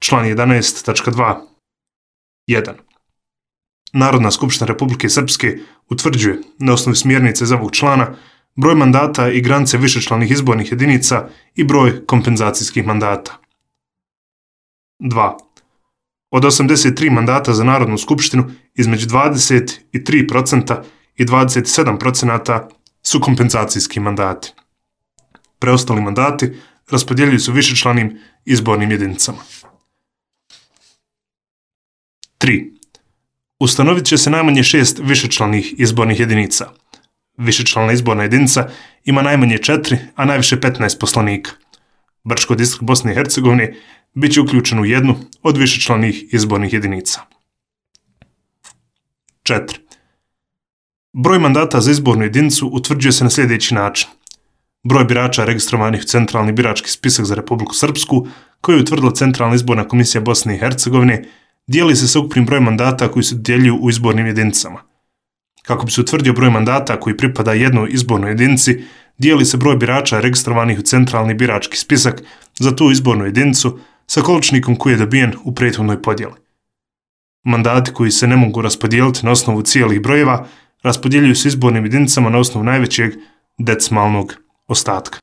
Član 11.2. 1. Narodna skupština Republike Srpske utvrđuje, na osnovu smjernice za ovog člana, broj mandata i granice višečlanih izbornih jedinica i broj kompenzacijskih mandata. 2. Od 83 mandata za Narodnu skupštinu, između 23% i 27% su kompenzacijski mandati. Preostali mandati raspodjeljuju se višečlanim izbornim jedinicama. 3. Ustanovit će se najmanje 6 višečlanih izbornih jedinica. Višečlana izborna jedinica ima najmanje 4, a najviše 15 poslanika. Brčko distrikt Bosne i Hercegovine bit će uključen u jednu od višečlanih izbornih jedinica. 4. Broj mandata za izbornu jedinicu utvrđuje se na sljedeći način. Broj birača registrovanih u Centralni birački spisak za Republiku Srpsku, koji je utvrdila Centralna izborna komisija Bosne i Hercegovine, dijeli se sa ukupnim brojem mandata koji se dodjeljuju u izbornim jedinicama. Kako bi se utvrdio broj mandata koji pripada jednoj izbornoj jedinici, dijeli se broj birača registrovanih u Centralni birački spisak za tu izbornu jedinicu sa količnikom koji je dobijen u prethodnoj podjeli. Mandati koji se ne mogu raspodijeliti na osnovu cijelih brojeva raspodjeljuju se izbornim jedinicama na osnovu najvećeg decimalnog ostatka.